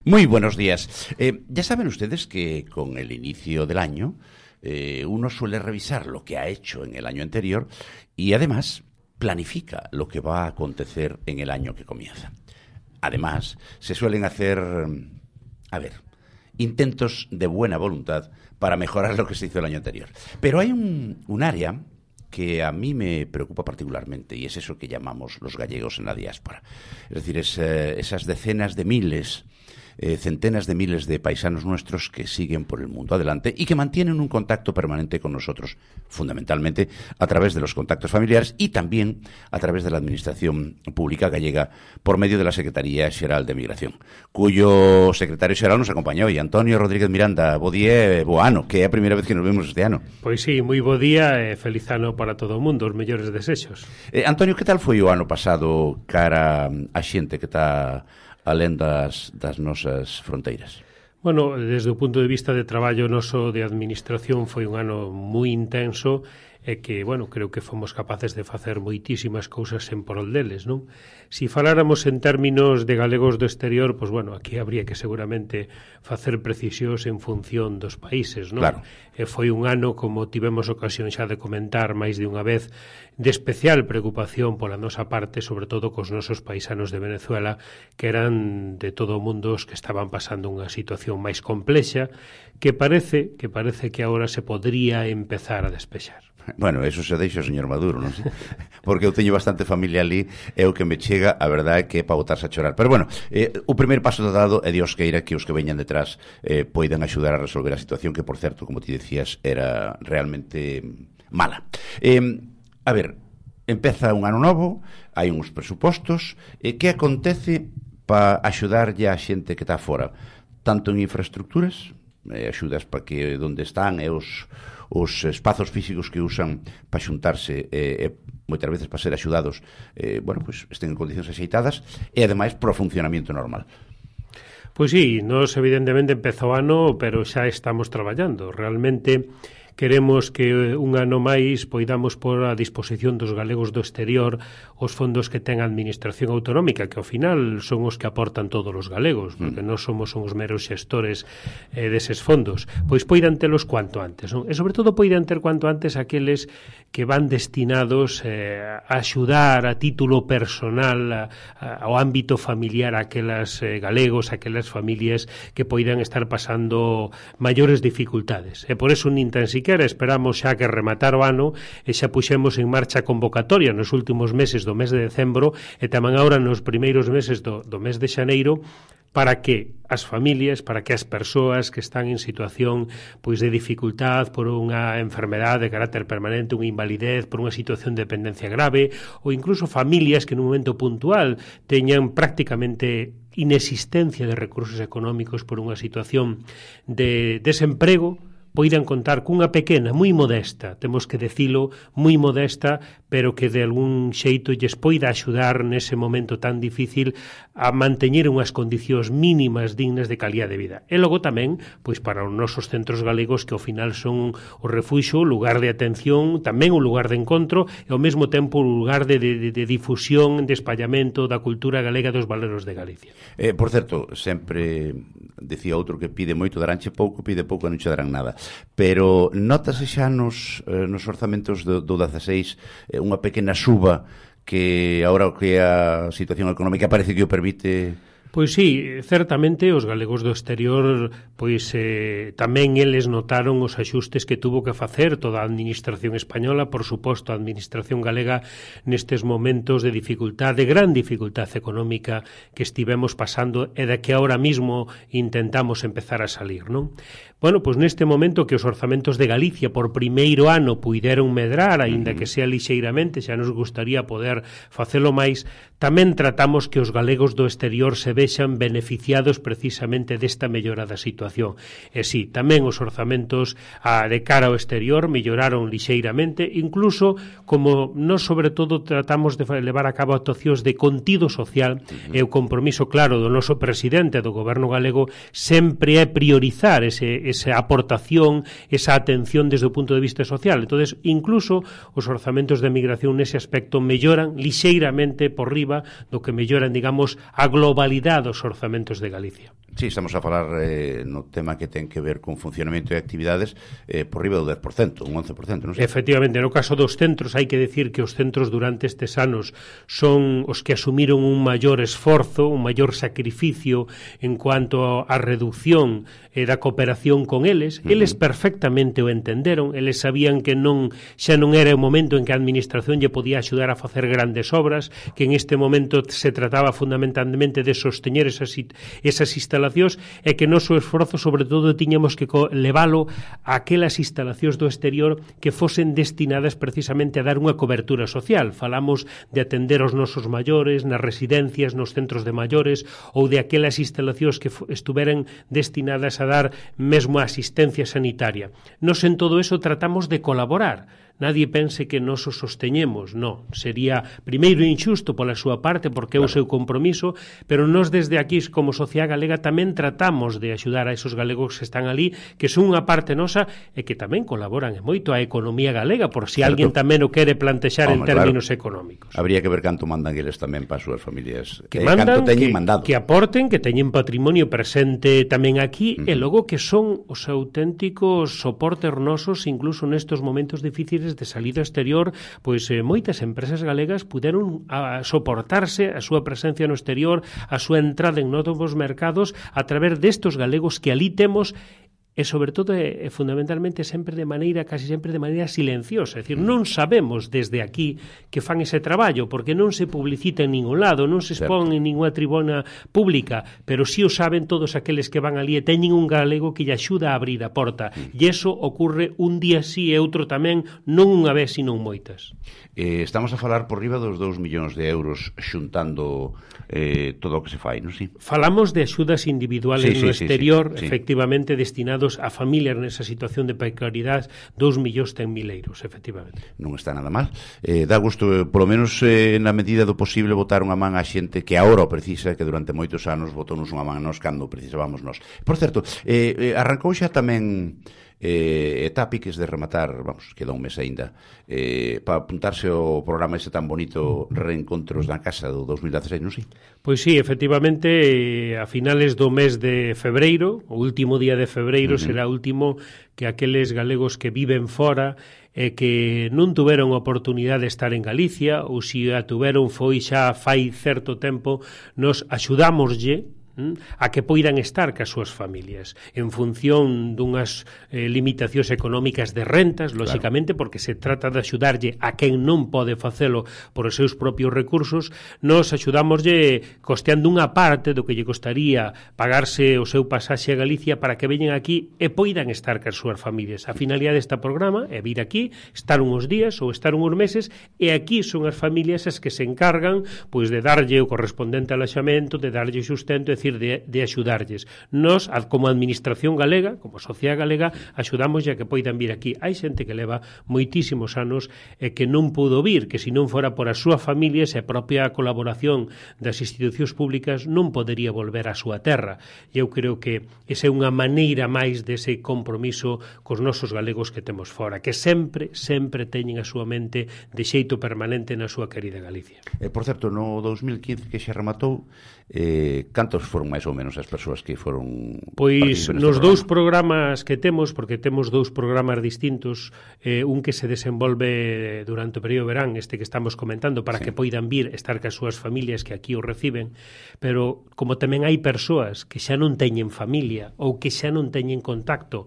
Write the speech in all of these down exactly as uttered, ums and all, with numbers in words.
Muy buenos días. Eh, ya saben ustedes que con el inicio del año eh, uno suele revisar lo que ha hecho en el año anterior y además planifica lo que va a acontecer en el año que comienza. Además, se suelen hacer, a ver, intentos de buena voluntad para mejorar lo que se hizo el año anterior. Pero hay un, un área que a mí me preocupa particularmente, y es eso que llamamos los gallegos en la diáspora. Es decir, es, eh, esas decenas de miles, eh, centenas de miles de paisanos nuestros que siguen por el mundo adelante y que mantienen un contacto permanente con nosotros, fundamentalmente a través de los contactos familiares y también a través de la Administración Pública Gallega por medio de la Secretaría Xeral de Migración, cuyo secretario xeral nos acompaña hoy, Antonio Rodríguez Miranda. Bo día, bo ano, que é a primeira vez que nos vemos este ano. Pois sí, moi bo día e feliz ano para todo o mundo, os mellores desexos. Eh, Antonio, que tal foi o ano pasado cara a xente que está alén das, das nosas fronteiras? Bueno, desde o punto de vista de traballo noso de administración foi un ano moi intenso e que, bueno, creo que fomos capaces de facer moitísimas cousas en prol deles, non? Si faláramos en términos de galegos do exterior, pois, bueno, aquí habría que seguramente facer precisións en función dos países, non? Claro. E foi un ano, como tivemos ocasión xa de comentar máis de unha vez, de especial preocupación pola nosa parte, sobre todo cos nosos paisanos de Venezuela, que eran de todo o mundo os que estaban pasando unha situación máis complexa, que parece que parece que agora se podría empezar a despexar. Bueno, eso se deixa o señor Maduro, non sei? Porque eu teño bastante familia ali e o que me chega, a verdade é que é para botarse a chorar. Pero bueno, eh, o primeiro paso dado é Dios queira que os que veñan detrás eh, poidan axudar a resolver a situación que, por certo, como ti decías, era realmente mala. Eh, a ver, empeza un ano novo, hai uns presupostos, eh, que acontece para axudarlle a xente que está fora? Tanto en infraestructuras, eh, axudas para que onde están e os os espazos físicos que usan para xuntarse e, e moitas veces para ser axudados, eh, bueno, pues estén en condicións axeitadas e ademais pro funcionamento normal. Pois sí, nos evidentemente empezou o ano, pero xa estamos traballando. Realmente queremos que un ano máis poidamos pôr a disposición dos galegos do exterior os fondos que ten a Administración Autonómica, que ao final son os que aportan todos os galegos, porque non somos os meros xestores eh, deses fondos. Pois poidan telos cuanto antes, non? E sobre todo poidan ter cuanto antes aqueles que van destinados eh, a axudar a título personal a, a, ao ámbito familiar a aquelas eh, galegos, a aquelas familias que poidan estar pasando maiores dificultades. E por eso nin tan siquiera esperamos xa que rematar o ano e xa puxemos en marcha a convocatoria nos últimos meses do mes de decembro e tamén agora nos primeiros meses do, do mes de xaneiro para que as familias, para que as persoas que están en situación pois de dificultad por unha enfermedade de carácter permanente, unha invalidez, por unha situación de dependencia grave ou incluso familias que nun momento puntual teñan prácticamente inexistencia de recursos económicos por unha situación de desemprego, poidan contar cunha pequena, moi modesta, temos que decilo, moi modesta, pero que de algún xeito lles poida axudar nese momento tan difícil a manteñer unhas condicións mínimas dignas de calidad de vida. E logo tamén, pois para os nosos centros galegos que ao final son o refuxo, o lugar de atención, tamén o lugar de encontro e ao mesmo tempo o lugar de, de, de difusión, de espallamento da cultura galega dos valeros de Galicia. Eh, por certo, sempre decía outro que pide moito, daranche pouco, pide pouco e non che darán nada. Pero notase xa nos, eh, nos orzamentos do, do dezaseis eh, unha pequena suba que agora que a situación económica parece que o permite. Pois sí, certamente os galegos do exterior pois eh, tamén eles notaron os axustes que tuvo que facer toda a administración española, por suposto a administración galega nestes momentos de dificultad, de gran dificultad económica que estivemos pasando e da que ahora mismo intentamos empezar a salir, non? Bueno, pois neste momento que os orzamentos de Galicia por primeiro ano puideron medrar, aínda que sea lixeiramente, xa nos gustaría poder facelo máis, tamén tratamos que os galegos do exterior se vexan beneficiados precisamente desta mellora da situación. E sí, tamén os orzamentos a, de cara ao exterior melloraron lixeiramente, incluso como nós sobre todo tratamos de levar a cabo actuacións de contido social e o compromiso claro do noso presidente do goberno galego sempre é priorizar ese esa aportación, esa atención desde o punto de vista social. Entonces, incluso os orzamentos de migración nese aspecto melloran lixeiramente por riba do que melloran, digamos, a globalidade dos orzamentos de Galicia. Sí, estamos a falar eh, no tema que ten que ver con funcionamento e actividades eh, por riba do dez por cento, un once por cento, non sei? Efectivamente, no caso dos centros hai que decir que os centros durante estes anos son os que asumiron un maior esforzo, un maior sacrificio en cuanto á reducción eh, da cooperación con eles. Uh-huh. Eles perfectamente o entenderon, eles sabían que non xa non era o momento en que a administración lle podía axudar a facer grandes obras, que en este momento se trataba fundamentalmente de sosteñer esas, esas instalacións e que noso esforzo sobre todo tiñamos que leválo a aquelas instalacións do exterior que fosen destinadas precisamente a dar unha cobertura social. Falamos de atender aos nosos maiores nas residencias, nos centros de maiores ou de aquelas instalacións que estuveran destinadas a dar mesmo a asistencia sanitaria. Nos en todo eso tratamos de colaborar. Nadie pense que nos o sosteñemos, non. Sería primeiro injusto pola súa parte porque é o seu compromiso, pero nós desde aquí como Sociedade Galega tamén tratamos de axudar a esos galegos que están ali, que son unha parte nosa e que tamén colaboran moito a economía galega, por si alguén tamén o quere plantexar en términos claro. económicos. Habría que ver canto mandan eles tamén para as súas familias. Que eh, mandan, canto teñen que, mandado. que aporten, que teñen patrimonio presente tamén aquí, uh-huh. e logo que son os auténticos soportes nosos, incluso nestos momentos difíciles de salida exterior, pois eh, moitas empresas galegas puderon a, soportarse a súa presencia no exterior, a súa entrada en novos mercados a través destos galegos que ali temos e sobre todo e fundamentalmente sempre de maneira, casi sempre de maneira silenciosa, é dicir, non sabemos desde aquí que fan ese traballo, porque non se publicita en ningún lado, non se expón en ninguna tribuna pública, pero si o saben todos aqueles que van ali e teñen un galego que lle axuda a abrir a porta, mm. e eso ocurre un día sí e outro tamén, non unha vez, sino moitas. Eh, estamos a falar por riba dos dous millóns de euros xuntando eh, todo o que se fai, non si? Falamos de axudas individuales sí, no sí, exterior, sí, sí. efectivamente destinados a familias nesa situación de precariedade, dous millóns ten mil euros, efectivamente. Non está nada mal. Eh, dá gusto, polo menos eh, na medida do posible, botar unha man á xente que agora o precisa, que durante moitos anos botou-nos unha man nos cando precisábamos nós. Por certo, eh, arrancou xa tamén eh, eta piques de rematar, vamos, queda un mes aínda, eh, para apuntarse ao programa ese tan bonito Reencontros na Casa do dos mil dezasseis, non sei? Pois sí, efectivamente, eh, a finales do mes de febreiro, o último día de febreiro, uh-huh. será o último que aqueles galegos que viven fora e que non tuveron oportunidade de estar en Galicia, ou se a tuveron foi xa fai certo tempo, nos axudámoslle a que poidan estar cas súas familias en función dunhas eh, limitacións económicas de rentas, lóxicamente, claro. porque se trata de axudarlle a quen non pode facelo por os seus propios recursos. Nos axudámoslle costeando unha parte do que lle costaría pagarse o seu pasaxe a Galicia para que veñen aquí e poidan estar cas súas familias. A finalidade deste programa é vir aquí, estar uns días ou estar uns meses, e aquí son as familias as que se encargan pois de darlle o correspondente alaxamento, de darlle sustento, é De, de axudarlles. Nos, como administración galega, como sociedade galega, axudamos a que poidan vir aquí. Hai xente que leva moitísimos anos e que non pudo vir, que se non fora por as súas familias e a propia colaboración das institucións públicas non podería volver á súa terra. E eu creo que esa é unha maneira máis dese compromiso cos nosos galegos que temos fora, que sempre, sempre teñen a súa mente de xeito permanente na súa querida Galicia. Eh, por certo, no dos mil quince que xa rematou, eh, cantos foron máis ou menos as persoas que foron... Pois nos dous programas que temos, porque temos dous programas distintos, eh, un que se desenvolve durante o período verán, este que estamos comentando, para sí. que poidan vir estar cas súas familias que aquí o reciben, pero como tamén hai persoas que xa non teñen familia ou que xa non teñen contacto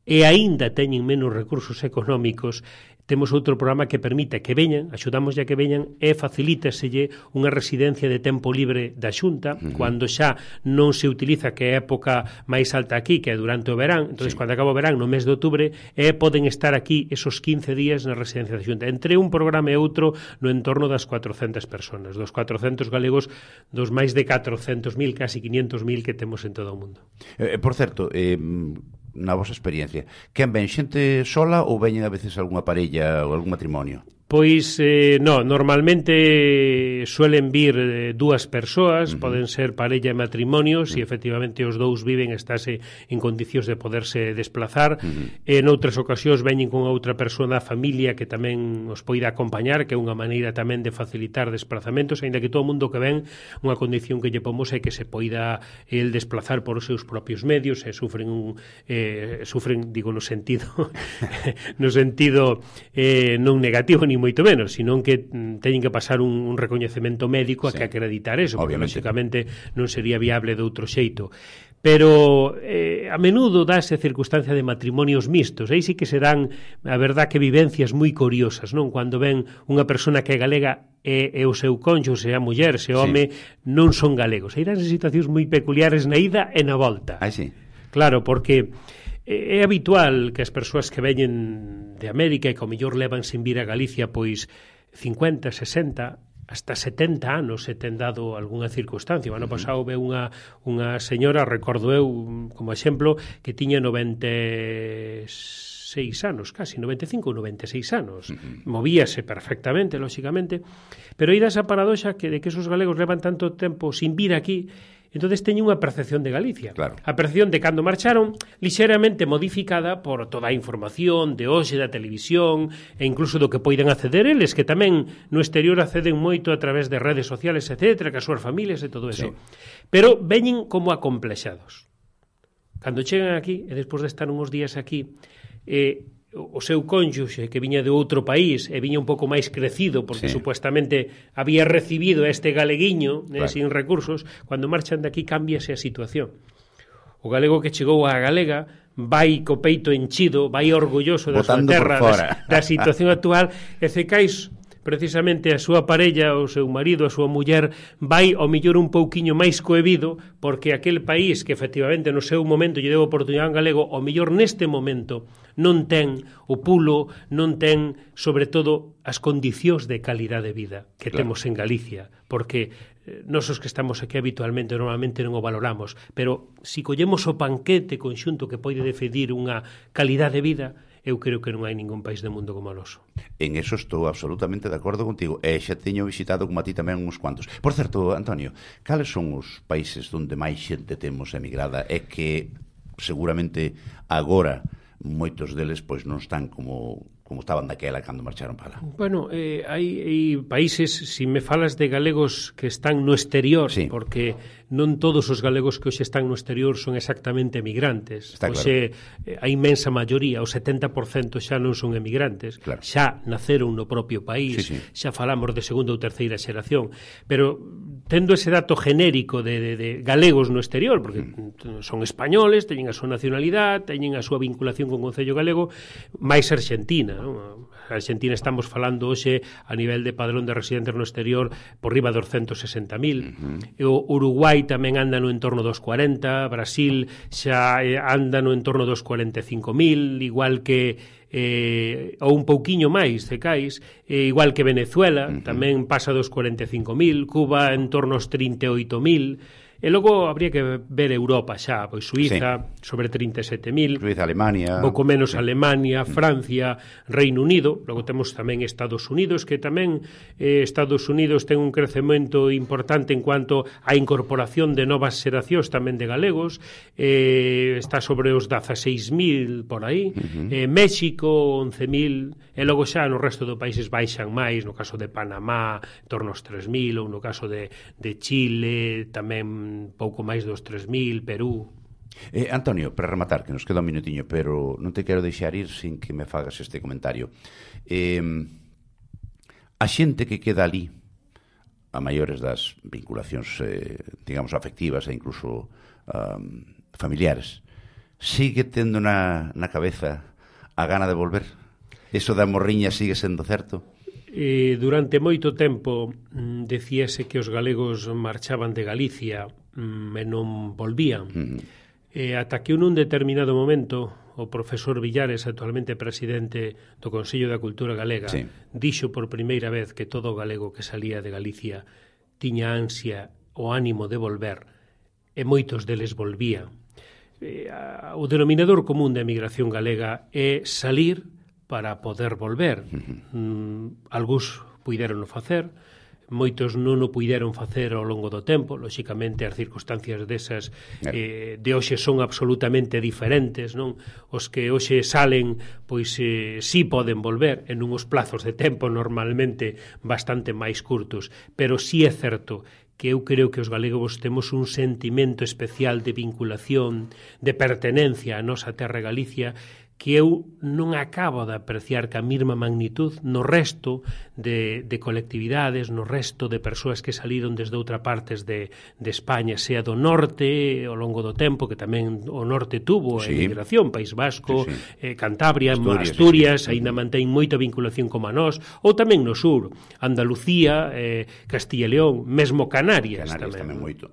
e aínda teñen menos recursos económicos, temos outro programa que permite que veñan, axudamos a que veñan e facilítaselle unha residencia de tempo libre da Xunta, uh-huh. cando xa non se utiliza, que é a época máis alta aquí, que é durante o verán, entón, sí. cando acaba o verán, no mes de outubro, e poden estar aquí esos quince días na residencia da Xunta. Entre un programa e outro, no entorno das cuatrocentas personas, dos cuatrocentos galegos, dos máis de catrocentos mil, casi quinhentos mil que temos en todo o mundo. Eh, por certo, eh, na vosa experiencia, quen ven xente sola ou veñen a veces algunha parella ou algún matrimonio? Pois, eh, no, normalmente suelen vir eh, dúas persoas, uh-huh. poden ser parella e matrimonio, uh-huh. se efectivamente os dous viven, estáse en condicións de poderse desplazar. Uh-huh. En outras ocasións veñen con outra persoa da familia que tamén os poida acompañar, que é unha maneira tamén de facilitar desplazamentos, aínda que todo o mundo que ven, unha condición que lle pomos é que se poida el desplazar por os seus propios medios, e sufren un, eh, sufren, digo, no sentido no sentido eh, non negativo ni moito menos, sino que teñen que pasar un, un recoñecemento médico a sí. que acreditar eso, porque lógicamente non sería viable de outro xeito. Pero eh, a menudo dáse circunstancia de matrimonios mixtos, aí sí que serán, a verdad, que vivencias moi curiosas, non? Cando ven unha persona que é galega e, e o seu conxo, se a muller, se o home, sí. non son galegos. Aí danse situacións moi peculiares na ida e na volta. Ah, sí. Claro, porque é habitual que as persoas que veñen de América e que ao mellor levan sin vir a Galicia pois cincuenta, sesenta, hasta setenta anos se ten dado algunha circunstancia. O ano pasado veu unha, unha señora, recordo eu como exemplo, que tiña noventa e seis anos, casi noventa e cinco ou noventa e seis anos. Uh-huh. Movíase perfectamente, lóxicamente, pero aí dá esa paradoxa que de que esos galegos levan tanto tempo sin vir aquí. Entonces teñen unha percepción de Galicia. Claro. A percepción de cando marcharon, lixeramente modificada por toda a información de hoxe, da televisión, e incluso do que poidan acceder eles, que tamén no exterior acceden moito a través de redes sociales, etcétera, que as súas familias e todo eso. Sí. Pero veñen como acomplexados. Cando chegan aquí, e despois de estar uns días aquí, eh, o seu cónxuxe que viña de outro país e viña un pouco máis crecido porque sí. supuestamente había recibido a este galeguiño claro. eh, sin recursos, cando marchan de aquí cámbiase a situación. O galego que chegou á galega vai co peito enchido, vai orgulloso da súa terra, da, da situación actual, e cecais precisamente a súa parella, o seu marido, a súa muller, vai ao millor un pouquiño máis coebido, porque aquel país que efectivamente no seu momento lle deu oportunidade a un galego, ao millor neste momento non ten o pulo, non ten, sobre todo, as condicións de calidade de vida que claro. temos en Galicia, porque eh, nosos que estamos aquí habitualmente, normalmente non o valoramos, pero si collemos o panquete conxunto que pode decidir unha calidade de vida, eu creo que non hai ningún país do mundo como o noso. En eso estou absolutamente de acordo contigo. E xa teño visitado como a ti tamén uns cuantos. Por certo, Antonio, cales son os países onde máis xente temos emigrada e que seguramente agora moitos deles pois non están como como estaban daquela cando marcharon para lá? Bueno, eh, hai, hai países, se si me falas de galegos que están no exterior, sí. porque non todos os galegos que hoxe están no exterior son exactamente emigrantes. Está hoxe claro. a inmensa maioría, o setenta por cento xa non son emigrantes, claro. xa naceron no propio país, sí, sí. xa falamos de segunda ou terceira xeración, pero tendo ese dato genérico de, de, de galegos no exterior, porque mm. son españoles, teñen a súa nacionalidade, teñen a súa vinculación con o Concello Galego, máis Argentina, non? A Argentina estamos falando hoxe a nivel de padrón de residentes no exterior por riba dos ciento sesenta mil. Uh-huh. O Uruguai tamén anda no entorno dos cuarenta, Brasil xa anda no entorno dos cuarenta e cinco mil, igual que eh, ou un pouquiño máis, cecais, eh, igual que Venezuela, uh-huh. tamén pasa dos cuarenta e cinco mil, Cuba en torno aos trinta e oito mil. E logo habría que ver Europa xa, pois Suiza, sí. sobre trinta e sete mil, Suiza, Alemania, pouco menos sí. Alemania, Francia, Reino Unido, logo temos tamén Estados Unidos, que tamén eh, Estados Unidos ten un crecemento importante en cuanto á incorporación de novas xeracións tamén de galegos, eh, está sobre os dezaseis mil por aí, uh-huh. eh, México once mil, e logo xa no resto dos países baixan máis, no caso de Panamá, en torno aos tres mil, ou no caso de, de Chile, tamén pouco máis dos tres mil, Perú. Eh, Antonio, para rematar, que nos queda un minutiño, pero non te quero deixar ir sin que me fagas este comentario. Eh, a xente que queda ali, a maiores das vinculacións, eh, digamos, afectivas e incluso um, familiares, sigue tendo na, na cabeza a gana de volver? Eso da morriña sigue sendo certo? Eh, durante moito tempo mm, decíase que os galegos marchaban de Galicia mm, e non volvían. Mm. Eh, ata que nun determinado momento o profesor Villares, actualmente presidente do Consello da Cultura Galega, sí. dixo por primeira vez que todo o galego que salía de Galicia tiña ansia o ánimo de volver, e moitos deles volvían. Eh, o denominador común da emigración galega é salir para poder volver. Uh-huh. Mm, algúns puideron o facer, moitos non o puideron facer ao longo do tempo, lóxicamente as circunstancias desas eh, de hoxe son absolutamente diferentes, non? Os que hoxe salen, pois eh, sí poden volver en uns plazos de tempo normalmente bastante máis curtos, pero sí é certo que eu creo que os galegos temos un sentimento especial de vinculación, de pertenencia á nosa terra Galicia, que eu non acabo de apreciar ca mesma magnitud no resto de, de colectividades, no resto de persoas que saliron desde outra partes de, de España, sea do norte ao longo do tempo, que tamén o norte tuvo sí. a emigración, País Vasco, sí, sí. Eh, Cantabria, Asturias, Asturias sí, sí. aínda mantén moita vinculación como a nós, ou tamén no sur, Andalucía, eh, Castilla e León, mesmo Canarias, Canarias tamén. tamén moito.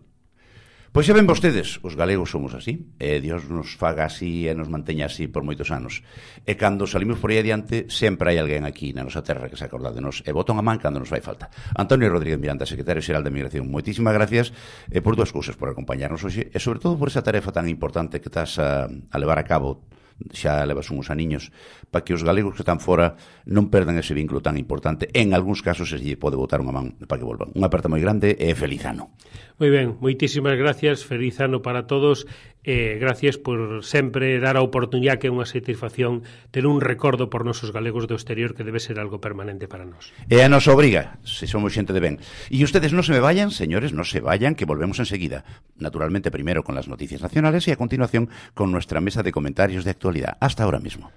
Pois xa ven vostedes, os galegos somos así, e Dios nos faga así e nos manteña así por moitos anos. E cando salimos por aí adiante, sempre hai alguén aquí na nosa terra que se acorda de nos e bota unha man cando nos fai falta. Antonio Rodríguez Miranda, secretario xeral de Migración, moitísimas gracias eh, por dúas cousas, por acompañarnos hoxe e sobre todo por esa tarefa tan importante que estás a, a levar a cabo, xa levas uns aniños, para que os galegos que están fora non perdan ese vínculo tan importante. En algúns casos se lle pode botar unha man para que volvan. Unha aperta moi grande e feliz ano. Moi ben, moitísimas gracias, feliz ano para todos e gracias por sempre dar a oportunidade, que é unha satisfacción ter un recordo por nosos galegos do exterior, que debe ser algo permanente para nós. E a nos obriga, se somos xente de ben. E ustedes non se me vayan, señores, non se vayan, que volvemos enseguida. Naturalmente, primero con las noticias nacionales y a continuación con nuestra mesa de comentarios de actualidad. Hasta ahora mismo.